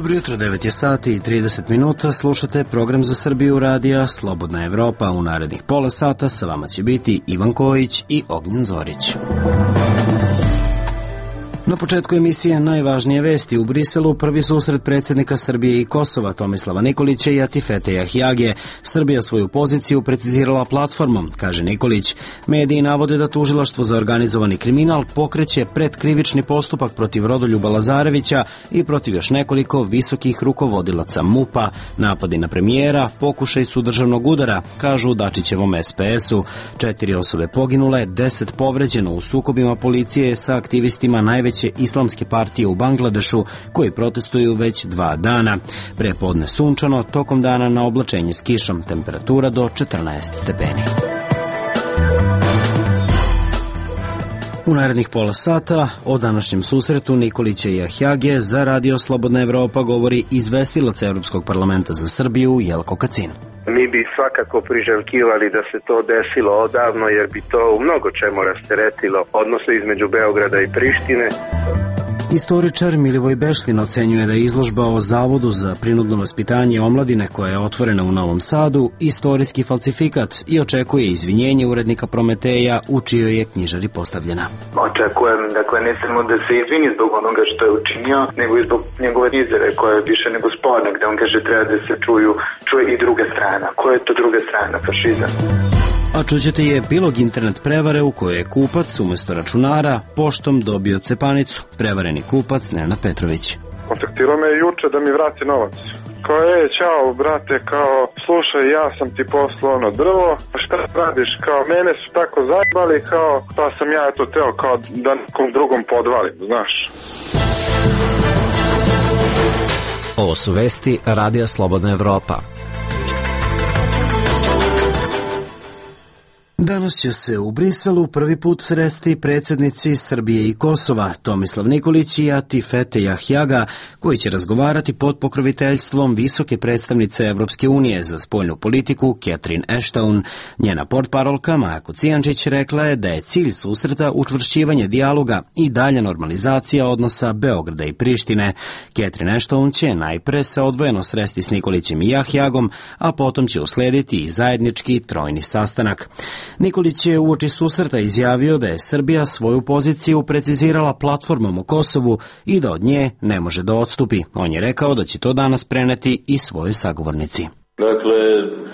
Dobro jutro, 9 je sati i 30 minuta, slušate program za Srbiju radija Slobodna Evropa. U narednih pola sata sa vama će biti Ivan Kojić i Ognjen Zorić. Na početku emisije najvažnije vesti. U Briselu prvi susret predsjednika Srbije i Kosova Tomislava Nikolića i Atifete Jahjage. Srbija svoju poziciju precizirala platformom, kaže Nikolić. Mediji navode da tužilaštvo za organizovani kriminal pokreće predkrivični postupak protiv Rodoljuba Lazarevića i protiv još nekoliko visokih rukovodilaca MUP-a. Napadi na premijera pokušaj su državnog udara, kažu u Dačićevom SPS-u. 4 osobe poginule, 10 povređeno u sukobima policije sa aktivistima najveće islamske partije u Bangladešu koji protestuju već 2 dana. Prepodne sunčano, tokom dana na oblačenje s kišom, temperatura do 14 stepeni. U narednih pola sata o današnjem susretu Nikolića i Jahjage za Radio Slobodna Evropa govori izvestilac Evropskog parlamenta za Srbiju Jelko Kacin. Mi bi svakako priželjkivali da se to desilo odavno, jer bi to u mnogo čemu rasteretilo odnose između Beograda i Prištine. Istoričar Milivoj Bešlin ocenjuje da je izložba o Zavodu za prinudno vaspitanje omladine koja je otvorena u Novom Sadu istorijski falsifikat i očekuje izvinjenje urednika Prometeja u čijoj je knjižari postavljena. Očekujem, ne samo da se izvini zbog onoga što je učinio, nego i zbog njegove izjave koja je više nego sporna, gde on kaže treba da se čuje i druga strana. Koja je to druga strana? Fašizam. A čućete je epilog internet prevare u kojoj je kupac umjesto računara poštom dobio cepanicu. Prevareni kupac Nenad Petrović. Kontaktirao me juče da mi vrati novac. Kao čao brate, kao slušaj, ja sam ti poslao ono drvo, pa šta radiš, kao mene su tako zajbali, kao pa sam ja to teo kao da nekom drugom podvalim, znaš. Ovo su vesti Radija Slobodna Evropa. Danas će se u Briselu prvi put sresti predsjednici Srbije i Kosova Tomislav Nikolić i Atifete Jahjaga, koji će razgovarati pod pokroviteljstvom visoke predstavnice Evropske unije za spoljnu politiku Catherine Ashton. Njena portparolka Maja Kocijančić rekla je da je cilj susreta učvršćivanje dijaloga i dalja normalizacija odnosa Beograda i Prištine. Catherine Ashton će najpre se odvojeno sresti s Nikolićem i Jahjagom, a potom će uslediti i zajednički trojni sastanak. Nikolić je uoči susreta izjavio da je Srbija svoju poziciju precizirala platformom o Kosovu i da od nje ne može da odstupi. On je rekao da će to danas preneti i svojoj sagovornici. Dakle,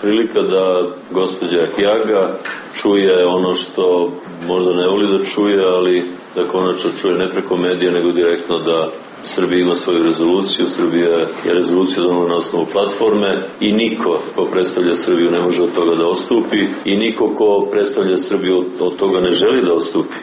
prilika da gospođa Jahjaga čuje ono što možda ne voli da čuje, ali da konačno čuje ne preko medija, nego direktno da Srbija ima svoju rezoluciju, Srbija je rezoluciju donela na osnovu platforme i niko ko predstavlja Srbiju ne može od toga da odstupi i niko ko predstavlja Srbiju od toga ne želi da odstupi.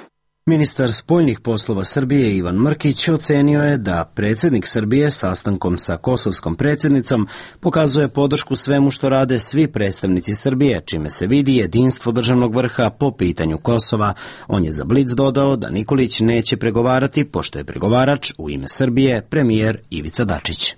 Ministar spoljnih poslova Srbije Ivan Mrkić ocenio je da predsjednik Srbije sastankom sa kosovskom predsjednicom pokazuje podršku svemu što rade svi predstavnici Srbije, čime se vidi jedinstvo državnog vrha po pitanju Kosova. On je za Blic dodao da Nikolić neće pregovarati, pošto je pregovarač u ime Srbije premijer Ivica Dačić.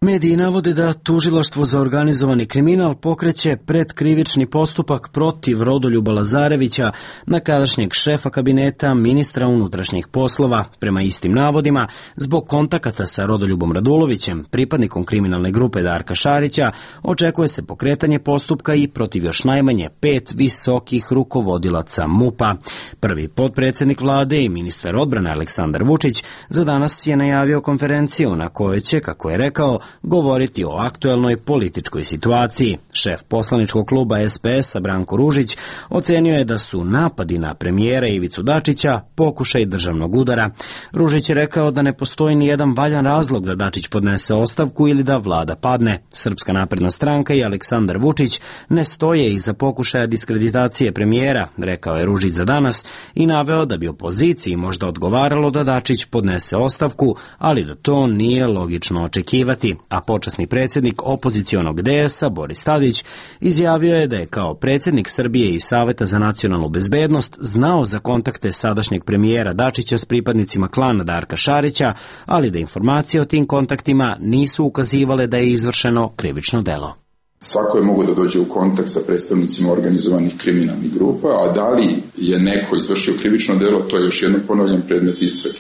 Mediji navode da tužilaštvo za organizovani kriminal pokreće predkrivični postupak protiv Rodoljuba Lazarevića, nekadašnjeg šefa kabineta ministra unutrašnjih poslova. Prema istim navodima, zbog kontakata sa Rodoljubom Radulovićem, pripadnikom kriminalne grupe Darka Šarića, očekuje se pokretanje postupka i protiv još najmanje 5 visokih rukovodilaca MUP-a. Prvi potpredsjednik vlade i ministar odbrane Aleksandar Vučić za danas je najavio konferenciju na kojoj će, kako je rekao, govoriti o aktuelnoj političkoj situaciji. Šef poslaničkog kluba SPS-a Branko Ružić ocenio je da su napadi na premijera Ivicu Dačića pokušaj državnog udara. Ružić je rekao da ne postoji ni jedan valjan razlog da Dačić podnese ostavku ili da vlada padne. Srpska napredna stranka i Aleksandar Vučić ne stoje iza pokušaja diskreditacije premijera, rekao je Ružić za danas i naveo da bi opoziciji možda odgovaralo da Dačić podnese ostavku, ali da to nije logično očekivati. A počasni predsjednik opozicionog DS-a Boris Tadić izjavio je da je kao predsjednik Srbije i Saveta za nacionalnu bezbednost znao za kontakte sadašnjeg premijera Dačića s pripadnicima klana Darka Šarića, ali da informacije o tim kontaktima nisu ukazivale da je izvršeno krivično delo. Svako je mogo da dođe u kontakt sa predstavnicima organizovanih kriminalnih grupa, a da li je neko izvršio krivično delo, to je još jedno ponavljam predmet istrage.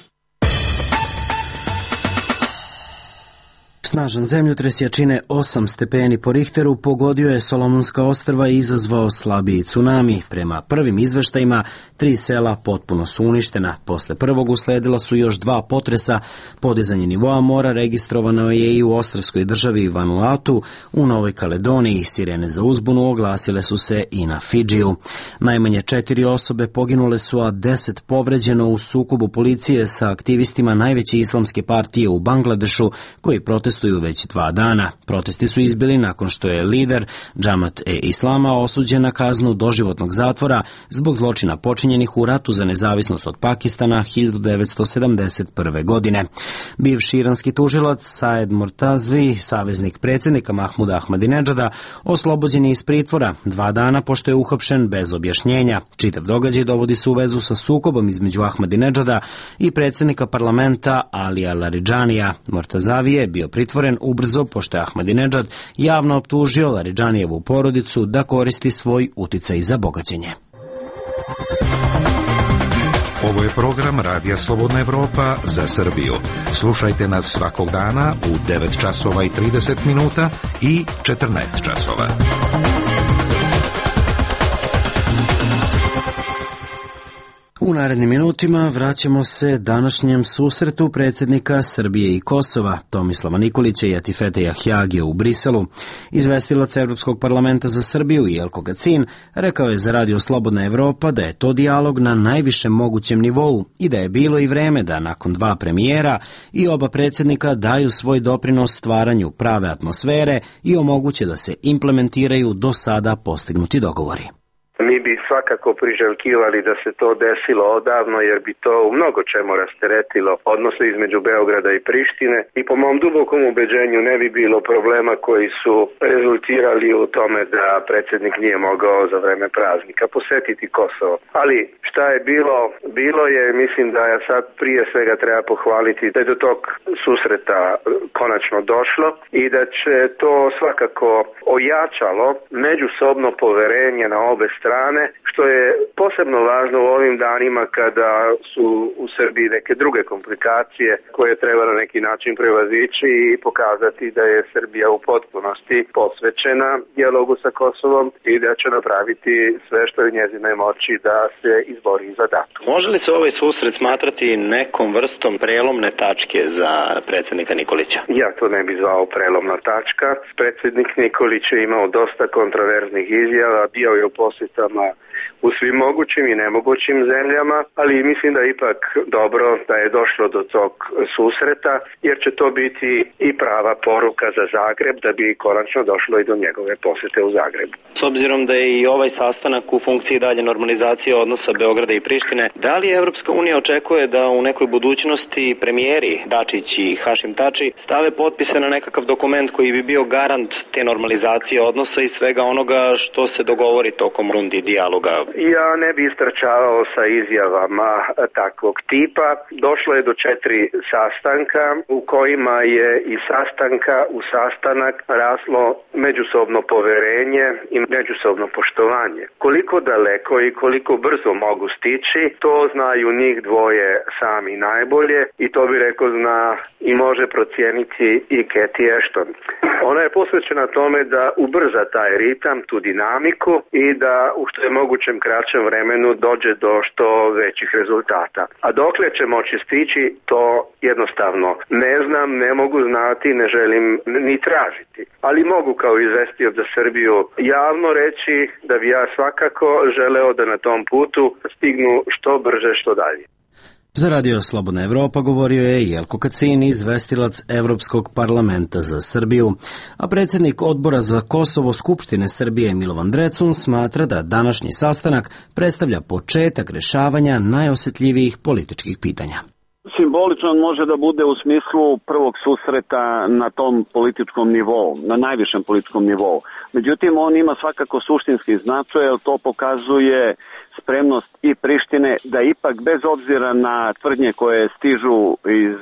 Snažan zemljotres jačine 8 stepeni po Richteru pogodio je Solomonska ostrva i izazvao slabiji tsunami. Prema prvim izveštajima, 3 sela potpuno su uništena. Posle prvog usledila su još 2 potresa. Podizanje nivoa mora registrovano je i u ostrvskoj državi Vanuatu, u Novoj Kaledoniji. Sirene za uzbunu oglasile su se i na Fidžiju. Najmanje 4 osobe poginule su, a 10 povređeno u sukobu policije sa aktivistima najveće islamske partije u Bangladešu, koji protestuju već 2 dana. Protesti su izbili nakon što je lider Džamat-e-Islama osuđen na kaznu doživotnog zatvora zbog zločina počinjenih u ratu za nezavisnost od Pakistana 1971. godine. Bivši iranski tužilac Saed Mortazvi, saveznik predsjednika Mahmuda Ahmadinedžada, oslobođen je iz pritvora 2 dana pošto je uhapšen bez objašnjenja. Čitav događaj dovodi se u vezu sa sukobom između Ahmadinedžada i predsjednika parlamenta Alija Laridžanija. Mortazavi je bio pritvoren ubrzo pošto je Ahmadinedžad javno optužio Laridžanijevu porodicu da koristi svoj uticaj za bogaćenje. Ovo je program Radija Slobodna Evropa za Srbiju. Slušajte nas svakog dana u 9 časova i 30 minuta i 14 časova. U narednim minutima vraćamo se današnjem susretu predsjednika Srbije i Kosova, Tomislava Nikolića i Atifete Jahjagija u Briselu. Izvestilac Evropskog parlamenta za Srbiju Jelko Kacin rekao je za Radio Slobodna Evropa da je to dijalog na najvišem mogućem nivou i da je bilo i vreme da nakon 2 premijera i oba predsjednika daju svoj doprinos stvaranju prave atmosfere i omoguće da se implementiraju do sada postignuti dogovori. Mi bi svakako priželjkivali da se to desilo odavno, jer bi to u mnogo čemu rasteretilo odnose između Beograda i Prištine i po mom dubokom ubeđenju ne bi bilo problema koji su rezultirali u tome da predsjednik nije mogao za vreme praznika posetiti Kosovo. Ali šta je bilo? Bilo je, mislim da ja sad prije svega treba pohvaliti da je do tog susreta konačno došlo i da će to svakako ojačalo međusobno poverenje na obe strane, što je posebno važno u ovim danima kada su u Srbiji neke druge komplikacije koje treba na neki način prevazići i pokazati da je Srbija u potpunosti posvećena dijalogu sa Kosovom i da će napraviti sve što je u njezinoj moći da se izbori za datum. Može li se ovaj susret smatrati nekom vrstom prelomne tačke za predsjednika Nikolića? Ja to ne bi zvao prelomna tačka. Predsjednik Nikolić je imao dosta kontroverznih izjava, bio je u posjetama u svim mogućim i nemogućim zemljama, ali mislim da je ipak dobro da je došlo do tog susreta, jer će to biti i prava poruka za Zagreb da bi konačno došlo i do njegove posjete u Zagrebu. S obzirom da je i ovaj sastanak u funkciji dalje normalizacije odnosa Beograda i Prištine, da li Evropska unija očekuje da u nekoj budućnosti premijeri Dačić i Hašim Tači stave potpise na nekakav dokument koji bi bio garant te normalizacije odnosa i svega onoga što se dogovori tokom rundi dijaloga? Ja ne bi istrčavao sa izjavama takvog tipa. Došlo je do 4 sastanka u kojima je i sastanka u sastanak raslo međusobno poverenje i međusobno poštovanje. Koliko daleko i koliko brzo mogu stići, to znaju njih dvoje sami najbolje i to bi rekao zna i može procijeniti i Cathy Ashton. Ona je posvećena tome da ubrza taj ritam, tu dinamiku i da u što je mogućem kraćem vremenu dođe do što većih rezultata. A dokle će moći stići, to jednostavno ne znam, ne mogu znati, ne želim ni tražiti. Ali mogu kao izvestioc za Srbiju javno reći da bi ja svakako želeo da na tom putu stignu što brže, što dalje. Za Radio Slobodna Evropa govorio je Jelko Kacin, izvestilac Evropskog parlamenta za Srbiju, a predsjednik odbora za Kosovo Skupštine Srbije Milovan Drecun smatra da današnji sastanak predstavlja početak rešavanja najosjetljivijih političkih pitanja. Simbolično može da bude u smislu prvog susreta na tom političkom nivou, na najvišem političkom nivou. Međutim, on ima svakako suštinski značaj, jer to pokazuje spremnost i Prištine da ipak bez obzira na tvrdnje koje stižu iz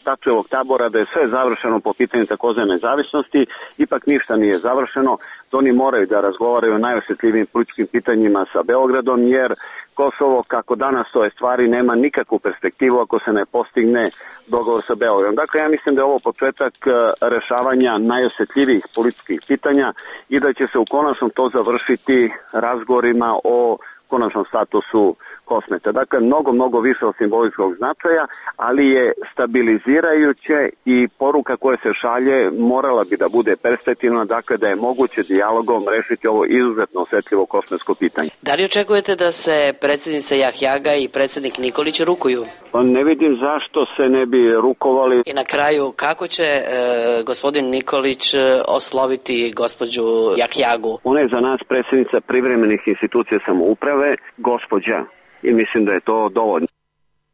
Tačijevog tabora da je sve završeno po pitanju takozvane nezavisnosti, ipak ništa nije završeno. Oni moraju da razgovaraju o najosjetljivijim političkim pitanjima sa Beogradom, jer Kosovo, kako danas stoje stvari, nema nikakvu perspektivu ako se ne postigne dogovor sa Beogradom. Dakle, ja mislim da je ovo početak rešavanja najosjetljivijih političkih pitanja i da će se u konačnom to završiti razgovorima o konačnom statusu Kosmeta. Dakle, mnogo više od simboličkog značaja, ali je stabilizirajuće i poruka koja se šalje morala bi da bude perspektivna, dakle da je moguće dijalogom rešiti ovo izuzetno osetljivo kosmetsko pitanje. Da li očekujete da se predsjednica Jahjaga i predsjednik Nikolić rukuju? Pa ne vidim zašto se ne bi rukovali. I na kraju, kako će gospodin Nikolić osloviti gospođu Jahjagu? Ona je za nas predsjednica privremenih institucija samouprave, gospođa. I mislim da je to dovoljno.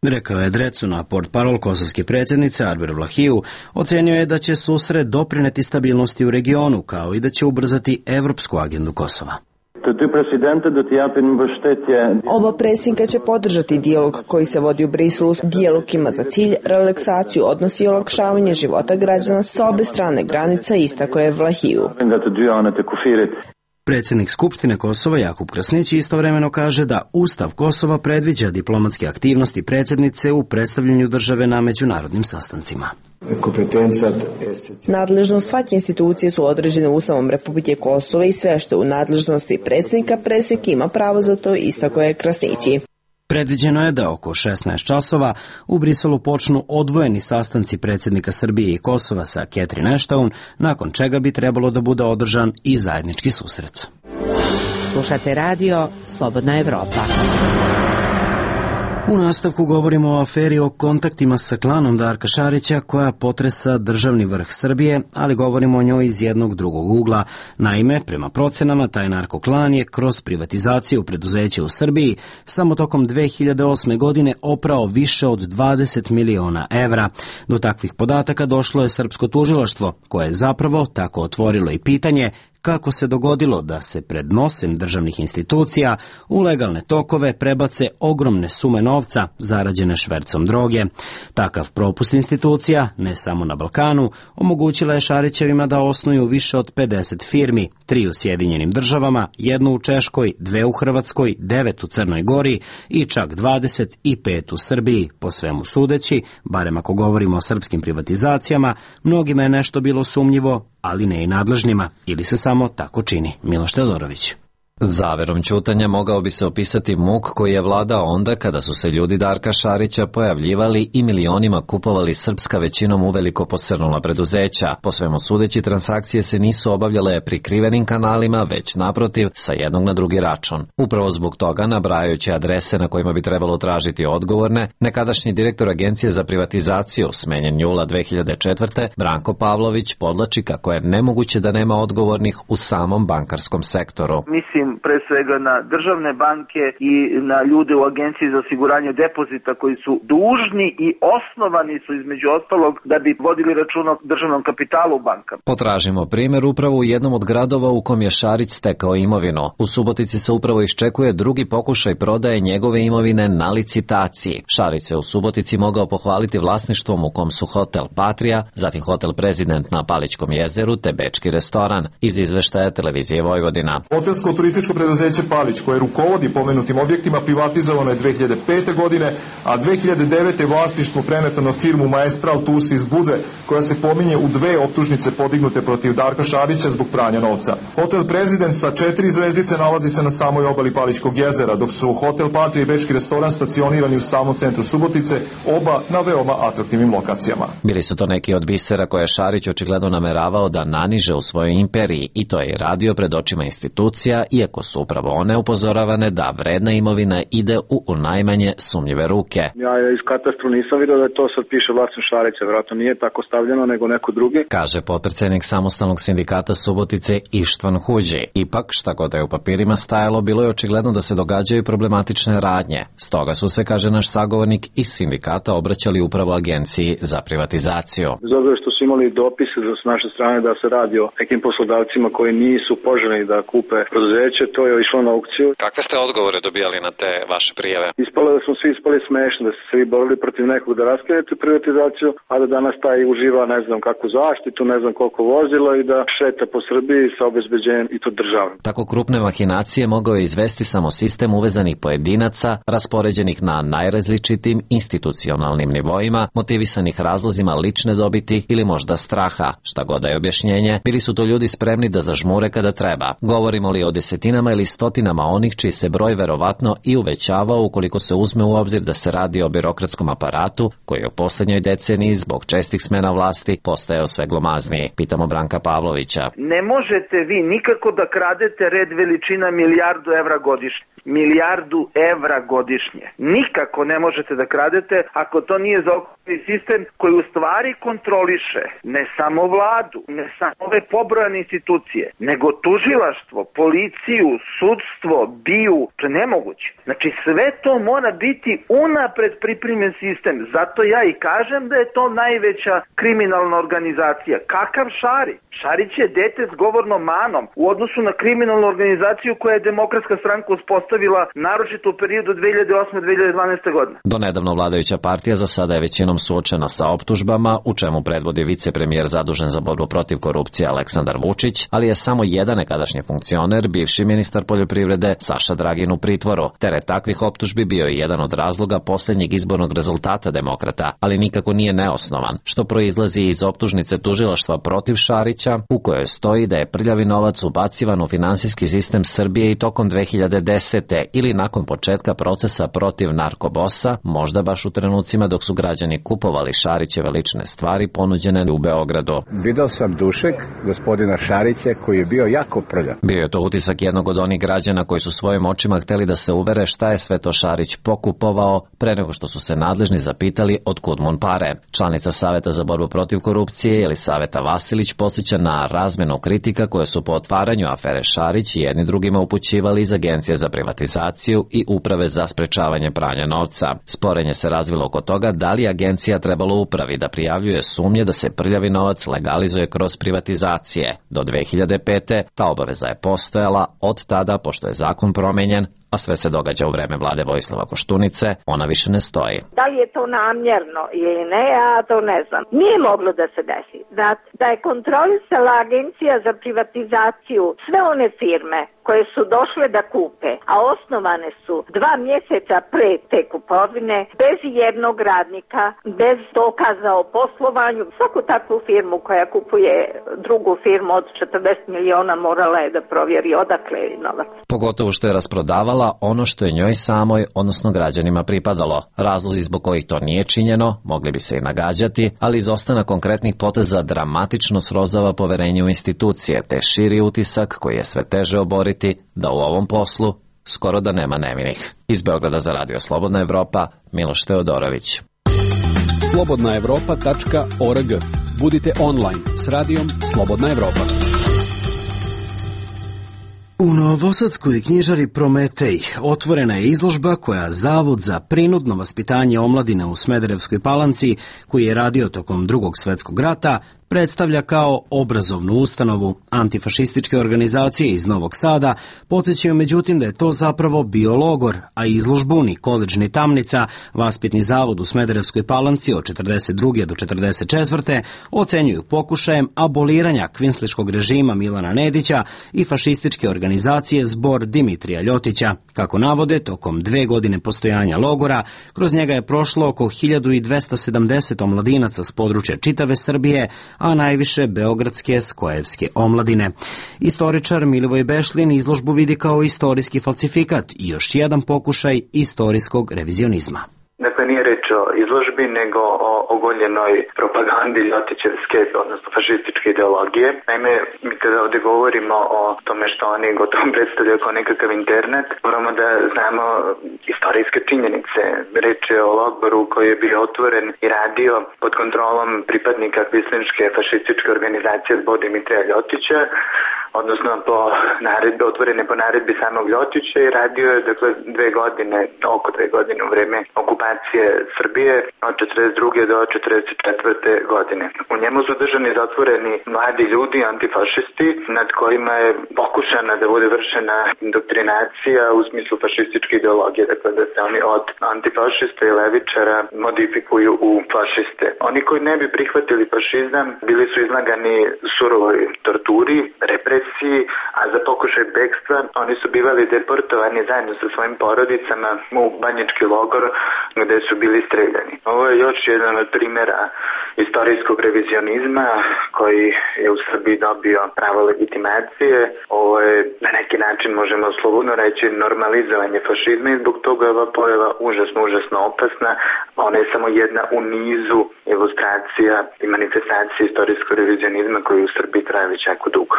Rekao je Drecu na portparol kosovske predsjednice Arber Vlahiju, ocenio je da će susret doprineti stabilnosti u regionu, kao i da će ubrzati evropsku agendu Kosova. Oba predsjednika će podržati dijalog koji se vodi u Briselu. Dijalog ima za cilj relaksaciju odnosi i olakšavanje života građana sa obe strane granica, istako je Vlahiju. Predsjednik Skupštine Kosova Jakub Krasnić istovremeno kaže da Ustav Kosova predviđa diplomatske aktivnosti predsjednice u predstavljanju države na međunarodnim sastancima. Nadležnost svake institucije su određene Ustavom Republike Kosova i sve što je u nadležnosti predsjednik ima pravo za to, istako je Krasnići. Predviđeno je da oko 16 časova u Briselu počnu odvojeni sastanci predsjednika Srbije i Kosova sa Catherine Ashton, nakon čega bi trebalo da bude održan i zajednički susret. Slušate radio Slobodna Evropa. U nastavku govorimo o aferi o kontaktima sa klanom Darka Šarića koja potresa državni vrh Srbije, ali govorimo o njoj iz jednog drugog ugla. Naime, prema procenama, taj narkoklan je kroz privatizaciju preduzeća u Srbiji samo tokom 2008. godine oprao više od 20 miliona evra. Do takvih podataka došlo je srpsko tužilaštvo, koje je zapravo tako otvorilo i pitanje kako se dogodilo da se pred nosem državnih institucija u legalne tokove prebace ogromne sume novca zarađene švercom droge. Takav propust institucija, ne samo na Balkanu, omogućila je Šarićevima da osnuju više od 50 firmi, 3 u Sjedinjenim državama, 1 u Češkoj, 2 u Hrvatskoj, 9 u Crnoj Gori i čak 25 u Srbiji. Po svemu sudeći, barem ako govorimo o srpskim privatizacijama, mnogima je nešto bilo sumnjivo, ali ne i nadležnima, ili se samo tako čini. Miloš Teodorović. Zaverom ćutanja mogao bi se opisati muk koji je vladao onda kada su se ljudi Darka Šarića pojavljivali i milionima kupovali srpska većinom uveliko posrnula preduzeća. Po svemu sudeći, transakcije se nisu obavljale prikrivenim kanalima, već naprotiv sa jednog na drugi račun. Upravo zbog toga, nabrajajući adrese na kojima bi trebalo tražiti odgovorne, nekadašnji direktor Agencije za privatizaciju, smenjen jula 2004. Branko Pavlović, podlači kako je nemoguće da nema odgovornih u samom bankarskom sektoru. Mislim pre svega na državne banke i na ljude u Agenciji za osiguranje depozita koji su dužni i osnovani su između ostalog da bi vodili račun o državnom kapitalu u bankama. Potražimo primjer upravo u jednom od gradova u kom je Šarić stekao imovinu. U Subotici se upravo iščekuje drugi pokušaj prodaje njegove imovine na licitaciji. Šarić se u Subotici mogao pohvaliti vlasništvom u kom su hotel Patria, zatim hotel Prezident na Palićkom jezeru te bečki restoran. Iz izveštaja Televizije Vojvodina. Turističko preduzeće Palić, koje rukovodi pomenutim objektima, privatizovano je 2005. godine, a 2009. je vlasništvo preneto na firmu Maestral Tours iz Budve, koja se pominje u 2 optužnice podignute protiv Darka Šarića zbog pranja novca. Hotel Prezident sa 4 zvezdice nalazi se na samoj obali Palićkog jezera, dok su hotel Patria i bečki restoran stacionirani u samom centru Subotice, oba na veoma atraktivnim lokacijama. Bili su to neki od bisera koje Šarić očigledno nameravao da naniže u svojoj imperiji, i to je i radio pred očima institucija, iako su upravo one upozoravane da vredna imovina ide u najmanje sumnjive ruke. Ja iz katastru nisam vidio da to sad piše vlasnik Šarića, vjerojatno nije tako stavljeno nego neko drugi. Kaže potpredsjednik Samostalnog sindikata Subotice Ištvan Huđi. Ipak, šta god je u papirima stajalo, bilo je očigledno da se događaju problematične radnje. Stoga su se, kaže naš sagovornik, iz sindikata obraćali upravo Agenciji za privatizaciju. Bez obzira što su imali dopise s naše strane da se radi o nekim poslodavcima koji nisu poželjni da kupe preduzeće, nesreće, to je išlo na aukciju. Kakve ste odgovore dobijali na te vaše prijave? Ispalo da smo svi ispali smešni, da su se svi borili protiv nekog da raskinete privatizaciju, a da danas taj uživa ne znam kakvu zaštitu, ne znam koliko vozila i da šeta po Srbiji sa obezbeđenjem i to državnim. Tako krupne mahinacije mogao je izvesti samo sistem uvezanih pojedinaca, raspoređenih na najrazličitim institucionalnim nivoima, motivisanih razlozima lične dobiti ili možda straha. Šta god da je objašnjenje, bili su to ljudi spremni da zažmure kada treba. Govorimo li o desetinama ili stotinama onih čiji se broj verovatno i uvećavao ukoliko se uzme u obzir da se radi o birokratskom aparatu koji je u poslednjoj deceniji zbog čestih smena vlasti postajao sve glomazniji. Pitamo Branka Pavlovića. Ne možete vi nikako da kradete red veličina milijardu evra godišnje. Milijardu evra godišnje. Nikako ne možete da kradete ako to nije zaokruženi sistem koji u stvari kontroliše ne samo vladu, ne samo ove pobrojane institucije, nego tužilaštvo, policiju, sudstvo, BIA. To je nemoguće. Znači sve to mora biti unapred pripremljen sistem. Zato ja i kažem da je to najveća kriminalna organizacija. Kakav Šarić? Šarić je dete s govornom manom u odnosu na kriminalnu organizaciju koja je Demokratska stranka uspostavila naročito u periodu 2008-2012. godine. Donedavno vladajuća partija za sada je većinom suočena sa optužbama, u čemu predvodi vicepremijer zadužen za borbu protiv korupcije Aleksandar Vučić, ali je samo jedan nekadašnji funkcioner, bivši ministar poljoprivrede Saša Dragin u pritvoru. Teret takvih optužbi bio je jedan od razloga posljednjeg izbornog rezultata demokrata, ali nikako nije neosnovan, što proizlazi iz optužnice tužilaštva protiv Šarića, u kojoj stoji da je prljavi novac ubacivan u finansijski sistem Srbije i tokom 2010. ili nakon početka procesa protiv narkobosa, možda baš u trenucima dok su građani kupovali Šarićeve lične stvari ponuđene u Beogradu. Video sam dušek gospodina Šarića koji je bio jako prljav. Bio je to utisak jednog od onih građana koji su svojim očima hteli da se uvere šta je sve to Šarić pokupovao pre nego što su se nadležni zapitali otkud mu pare. Članica Saveta za borbu protiv korupcije Jelisaveta Vasilić podsjeća na razmenu kritika koje su po otvaranju afere Šarić i jedni drugima upućivali iz Agencije za privatizaciju i Uprave za sprečavanje pranja novca. Sporenje se razvilo oko toga da li agencija trebalo upravi da prijavljuje sumnje da se prljavi novac legalizuje kroz privatizacije. Do 2005. ta obaveza je postojala, od tada, pošto je zakon promenjen, a sve se događa u vreme vlade Vojislava Koštunice, ona više ne stoji. Da li je to namjerno ili ne, ja to ne znam. Nije moglo da se desi. Da je kontrolisala Agencija za privatizaciju sve one firme koje su došle da kupe, a osnovane su 2 mjeseca pre te kupovine, bez jednog radnika, bez dokaza o poslovanju. Svaku takvu firmu koja kupuje drugu firmu od 40 miliona morala je da provjeri odakle je novac. Pogotovo što je rasprodavala ono što je njoj samoj, odnosno građanima pripadalo. Razlozi zbog kojih to nije činjeno mogli bi se i nagađati, ali izostanak konkretnih poteza dramatično srozava poverenje u institucije, te širi utisak koji je sve teže oboriti da u ovom poslu skoro da nema nevinih. Iz Beograda za Radio Slobodna Evropa, Miloš Teodorović. slobodnaevropa.org. Budite online s radijom Slobodna Evropa. U novosadskoj knjižari Prometej otvorena je izložba koja Zavod za prinudno vaspitanje omladine u Smederevskoj Palanci, koji je radio tokom Drugog svjetskog rata, predstavlja kao obrazovnu ustanovu. Antifašističke organizacije iz Novog Sada podsjećaju međutim da je to zapravo bio logor, a izložbu ni koledž ni tamnica, vaspitni zavod u Smederevskoj Palanci od 42. do 44. ocenjuju pokušajem aboliranja kvinsliškog režima Milana Nedića i fašističke organizacije Zbor Dimitrija Ljotića. Kako navode, tokom 2 godine postojanja logora, kroz njega je prošlo oko 1270 omladinaca s područja čitave Srbije, a najviše beogradske skojevske omladine. Istoričar Milivoj Bešlin izložbu vidi kao istorijski falsifikat i još jedan pokušaj istorijskog revizionizma. Dakle, nije reč o izložbi, nego o ogoljenoj propagandi Ljotićevske, odnosno fašističke ideologije. Naime, mi kada ovdje govorimo o tome što oni gotovo predstavljaju kao nekakav internet, moramo da znamo istorijske činjenice. Reč je o logoru koji je bio otvoren i radio pod kontrolom pripadnika kvislinške fašističke organizacije Zbor Dimitrija Ljotića. odnosno po naredbe, otvorene po naredbi samog Ljotića i radio je dakle oko 2 godine u vreme okupacije Srbije od 42. do 44. godine. U njemu su držani zatvoreni mladi ljudi, antifašisti, nad kojima je pokušana da bude vršena indoktrinacija u smislu fašističke ideologije, dakle da se oni od antifašista i levičara modifikuju u fašiste. Oni koji ne bi prihvatili fašizam bili su izlagani surovoj torturi, represiji, a za pokušaj bekstva oni su bivali deportovani zajedno sa svojim porodicama u banjički logor gde su bili streljani. Ovo je još jedan od primjera istorijskog revizionizma koji je u Srbiji dobio pravo legitimacije. Ovo je na neki način, možemo slobodno reći, normalizovanje fašizma i zbog toga je ova pojava užasno opasna. Ona je samo jedna u nizu ilustracija i manifestacije istorijskog revizionizma koji u Srbiji traje već jako dugo.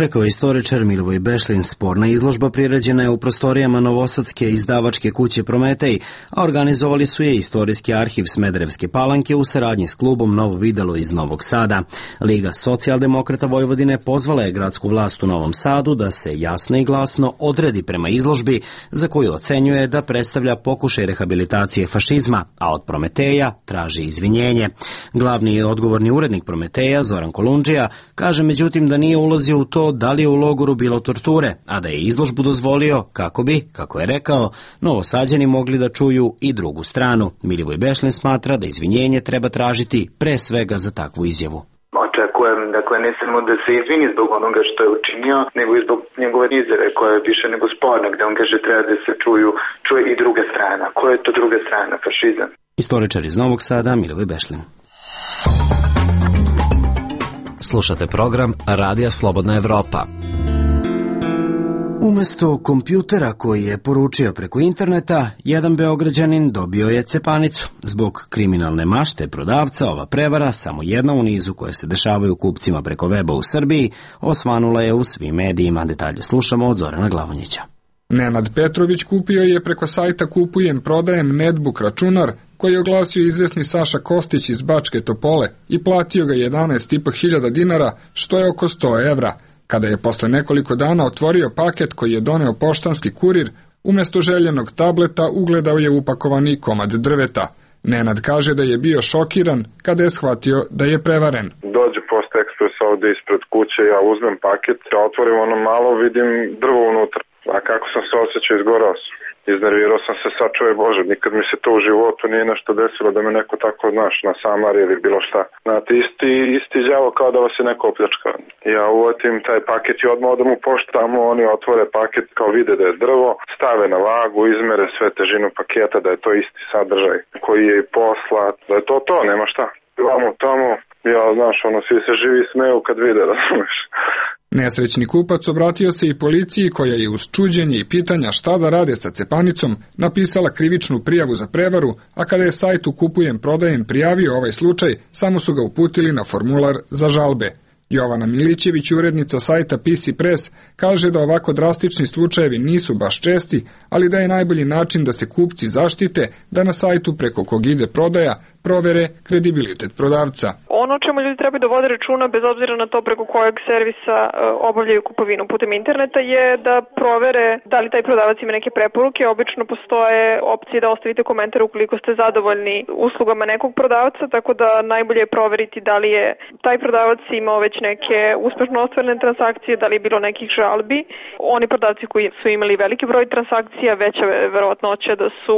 Rekao je istoričar Milivoj Bešlin. Sporna izložba priređena je u prostorijama novosadske izdavačke kuće Prometej, a organizovali su je Istorijski arhiv Smederevske Palanke u saradnji s klubom Novo videlo iz Novog Sada. Liga socijaldemokrata Vojvodine pozvala je gradsku vlast u Novom Sadu da se jasno i glasno odredi prema izložbi za koju ocenjuje da predstavlja pokušaj rehabilitacije fašizma, a od Prometeja traži izvinjenje. Glavni i odgovorni urednik Prometeja, Zoran Kolundžija, kaže međutim da nije ulazio u to da li je u logoru bilo torture, a da je izložbu dozvolio kako bi, kako je rekao, Novosađani mogli da čuju i drugu stranu. Milivoj Bešlin smatra da izvinjenje treba tražiti pre svega za takvu izjavu. Očekujem, dakle, ne samo da se izvini zbog onoga što je učinio, nego i zbog njegove izjave koja je više nego sporna, gde on kaže treba da se čuje i druga strana. Koja je to druga strana? Fašizam. Istoričar iz Novog Sada, Milivoj Bešlin. Slušate program Radija Slobodna Evropa. Umesto kompjutera koji je poručio preko interneta, jedan Beograđanin dobio je cepanicu. Zbog kriminalne mašte prodavca, ova prevara, samo jedna u nizu koje se dešavaju kupcima preko weba u Srbiji, osvanula je u svim medijima. Detalje slušamo od Zorana Glavonjića. Nenad Petrović kupio je preko sajta Kupujem, prodajem Netbook računar koji je oglasio izvesni Saša Kostić iz Bačke Topole i platio ga 11.500 dinara, što je oko 100 evra. Kada je posle nekoliko dana otvorio paket koji je doneo poštanski kurir, umesto željenog tableta ugledao je upakovani komad drveta. Nenad kaže da je bio šokiran kada je shvatio da je prevaren. Dođe Post Ekspres ovde ispred kuće, ja uzmem paket, ja otvorim ono malo, vidim drvo unutra. A kako sam se osjećao, izgorao sam. Iznervirao sam se, sad čuje Bože, nikad mi se to u životu nije nešto desilo da me neko tako, znaš, nasamari ili bilo šta. Znate, isti đavo kao da vas je neko opljačkao. Ja uvatim taj paket i odmah odem u poštu, tamo oni otvore paket, kao vide da je drvo, stave na vagu, izmere sve težinu paketa, da je to isti sadržaj koji je i poslat, da je to, nema šta. Tamo, ja, znaš, svi se živi smeju kad vide, razumeš. Nesrećni kupac obratio se i policiji koja je uz čuđenje i pitanja šta da rade sa cepanicom napisala krivičnu prijavu za prevaru, a kada je sajtu Kupujem, prodajem prijavio ovaj slučaj, samo su ga uputili na formular za žalbe. Jovana Milićević, urednica sajta PC Press, kaže da ovako drastični slučajevi nisu baš česti, ali da je najbolji način da se kupci zaštite da na sajtu preko kog ide prodaja provere kredibilitet prodavca. Ono o čemu ljudi treba da vode računa, bez obzira na to preko kojeg servisa obavljaju kupovinu putem interneta, je da provere da li taj prodavac ima neke preporuke. Obično postoje opcije da ostavite komentar ukoliko ste zadovoljni uslugama nekog prodavca, tako da najbolje je proveriti da li je taj prodavac imao već neke uspešno ostvarene transakcije, da li je bilo nekih žalbi. Oni prodavci koji su imali veliki broj transakcija, veća verovatnoća da su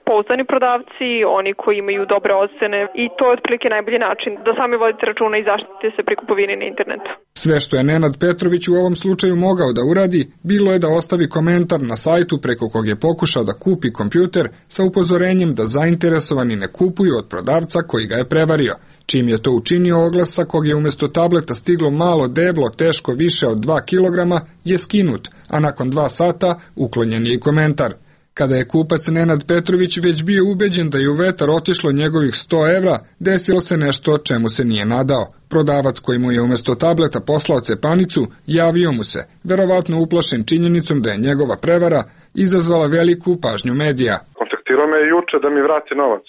pouzdani prodavci, oni koji imaju dobre ocene, i to je otprilike najbolji način da sami vodite računa i zaštitite se pri kupovini na internetu. Sve što je Nenad Petrović u ovom slučaju mogao da uradi, bilo je da ostavi komentar na sajtu preko kog je pokušao da kupi kompjuter sa upozorenjem da zainteresovani ne kupuju od prodavca koji ga je prevario. Čim je to učinio, oglas sa kog je umesto tableta stiglo malo deblo teško više od 2 kilograma je skinut, a nakon 2 sata uklonjen je i komentar. Kada je kupac Nenad Petrović već bio ubeđen da je u vetar otišlo njegovih 100 evra, desilo se nešto čemu se nije nadao. Prodavac koji mu je umesto tableta poslao cepanicu, javio mu se, verovatno uplašen činjenicom da je njegova prevara izazvala veliku pažnju medija. Kontaktirao me juče da mi vrati novac.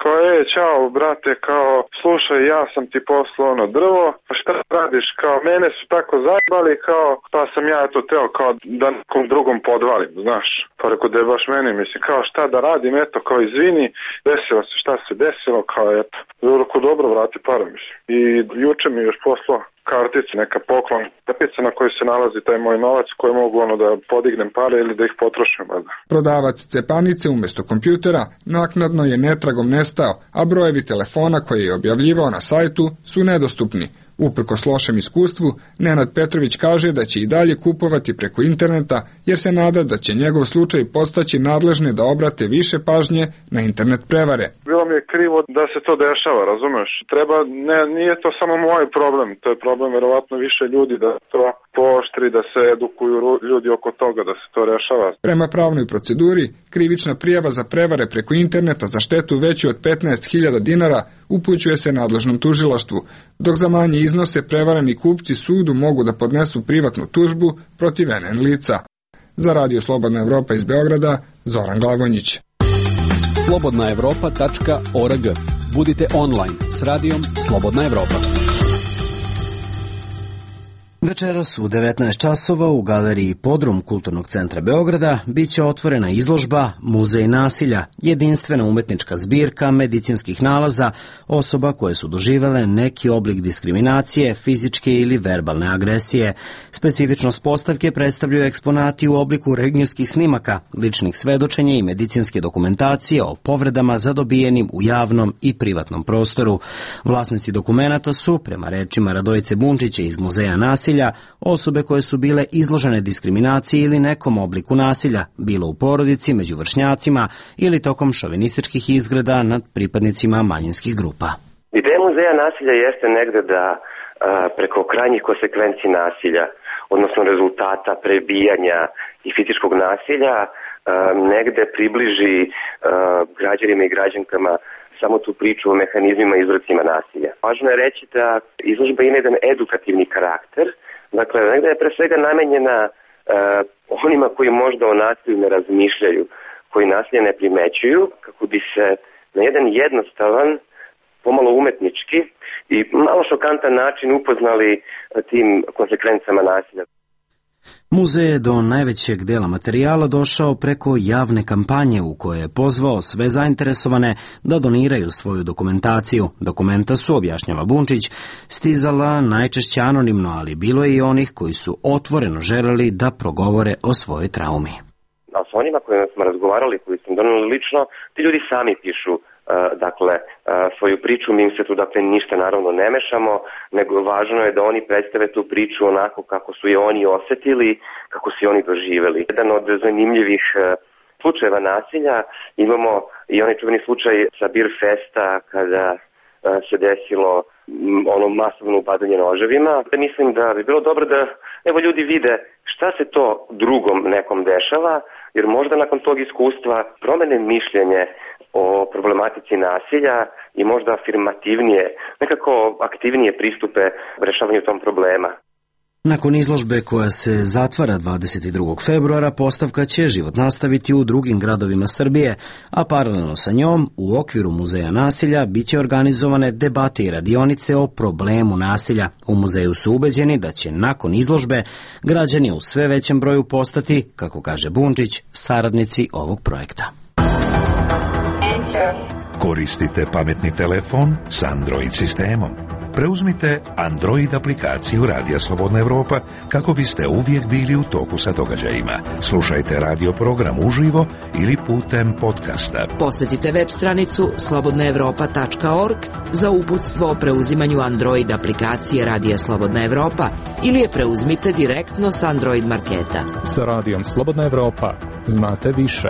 koje ćao brate, kao slušaj, ja sam ti poslao ono drvo, a šta radiš, kao mene su tako zajebali, kao pa sam ja to teo kao da nekom drugom podvalim, znaš. Pa rekao da je baš meni, mislim, kao šta da radim, eto, kao izvini, desilo se šta se desilo, kao eto. Rekao dobro, vrati para, mislim. I juče mi još poslao karticu, neka poklon, kartica na kojoj se nalazi taj moj novac koji mogu ono da podignem pare ili da ih potrošim. Prodavac cepanice umjesto kompjutera naknadno je netragom nestao, a brojevi telefona koje je objavljivao na sajtu su nedostupni. Uprkos lošem iskustvu, Nenad Petrović kaže da će i dalje kupovati preko interneta, jer se nada da će njegov slučaj postaći nadležne da obrate više pažnje na internet prevare. Bilo mi je krivo da se to dešava, razumeš? Nije to samo moj problem, to je problem verovatno više ljudi da to pooštri, da se edukuju ljudi oko toga, da se to rešava. Prema pravnoj proceduri, krivična prijava za prevare preko interneta za štetu veću od 15.000 dinara upućuje se nadležnom tužilaštvu, dok za manje iznose prevareni kupci sudu mogu da podnesu privatnu tužbu protiv NN lica. Za Radio Slobodna Evropa iz Beograda, Zoran Glavonjić. slobodnaevropa.org. Budite online s radijom Slobodna Evropa. Večeras u 19 časova u galeriji Podrum Kulturnog centra Beograda biće otvorena izložba Muzej nasilja, jedinstvena umetnička zbirka medicinskih nalaza osoba koje su doživele neki oblik diskriminacije, fizičke ili verbalne agresije. Specifičnost postavke predstavljaju eksponati u obliku rentgenskih snimaka, ličnih svedočenja i medicinske dokumentacije o povredama zadobijenim u javnom i privatnom prostoru. Vlasnici dokumenata su, prema rečima Radojice Bunčića iz Muzeja nasilja, osobe koje su bile izložene diskriminaciji ili nekom obliku nasilja, bilo u porodici, među vršnjacima ili tokom šovinističkih izgreda nad pripadnicima manjinskih grupa. Ideja Muzeja nasilja jeste negde da preko krajnjih konsekvenci nasilja, odnosno rezultata prebijanja i fizičkog nasilja, negde približi građanima i građankama samo tu priču o mehanizmima i uzrocima nasilja. Važno je reći da izložba ima jedan edukativni karakter, dakle, negde je pre svega namenjena onima koji možda o nasilju ne razmišljaju, koji nasilje ne primećuju, kako bi se na jedan jednostavan, pomalo umetnički i malo šokantan način upoznali tim konsekvencama nasilja. Muzej je do najvećeg dela materijala došao preko javne kampanje u kojoj je pozvao sve zainteresovane da doniraju svoju dokumentaciju. Dokumenta su, objašnjava Bunčić, stizala najčešće anonimno, ali bilo je i onih koji su otvoreno želeli da progovore o svojoj traumi. A s onima kojima smo razgovarali, koji smo donali lično, ti ljudi sami pišu svoju priču, mi im se tu ništa naravno ne mešamo, nego važno je da oni predstave tu priču onako kako su je oni osetili, kako su je oni doživeli. Jedan od zanimljivih slučajeva nasilja imamo i onaj čuveni slučaj sa Bir Festa kada se desilo ono masovno upadanje noževima. Mislim da bi bilo dobro da ljudi vide šta se to drugom nekom dešava, jer možda nakon tog iskustva promene mišljenje o problematici nasilja i možda afirmativnije, nekako aktivnije pristupe rešavanju tom problema. Nakon izložbe koja se zatvara 22. februara, postavka će život nastaviti u drugim gradovima Srbije, a paralelno sa njom, u okviru Muzeja nasilja, biće organizovane debate i radionice o problemu nasilja. U muzeju su ubeđeni da će nakon izložbe građani u sve većem broju postati, kako kaže Bunčić, saradnici ovog projekta. Koristite pametni telefon s Android sistemom. Preuzmite Android aplikaciju Radija Slobodna Evropa kako biste uvijek bili u toku sa događajima. Slušajte radio program uživo ili putem podcasta. Posjetite web stranicu slobodnaevropa.org za uputstvo o preuzimanju Android aplikacije Radija Slobodna Evropa ili je preuzmite direktno s Android marketa. Sa Radijom Slobodna Evropa znate više.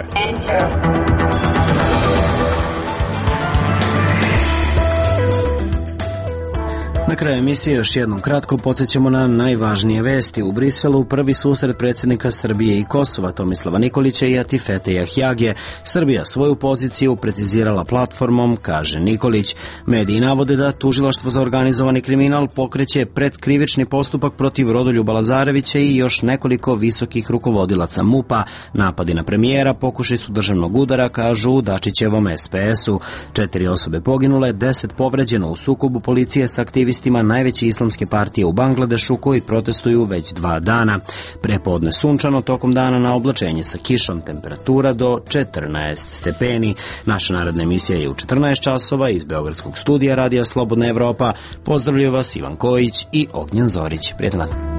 Na kraju emisije još jednom kratko podsjećamo na najvažnije vesti. U Briselu prvi susret predsjednika Srbije i Kosova Tomislava Nikolića i Atifete Jahjage. Srbija svoju poziciju precizirala platformom, kaže Nikolić. Mediji navode da Tužilaštvo za organizovani kriminal pokreće predkrivični postupak protiv Rodoljuba Lazarevića i još nekoliko visokih rukovodilaca MUP-a. Napadi na premijera pokušaj su državnog udara, kažu u Dačićevom SPS-u. 4 osobe poginule, 10 povređeno u sukobu policije sa aktivistima najveće islamske partije u Bangladešu koji protestuju već 2 dana. Prepodne sunčano, tokom dana na oblačenje sa kišom, temperatura do 14 stepeni. Naša naredna emisija je u 14 časova iz Beogradskog studija Radija Slobodna Evropa. Pozdravljaju vas Ivan Kojić i Ognjen Zorić. Prijetan dan.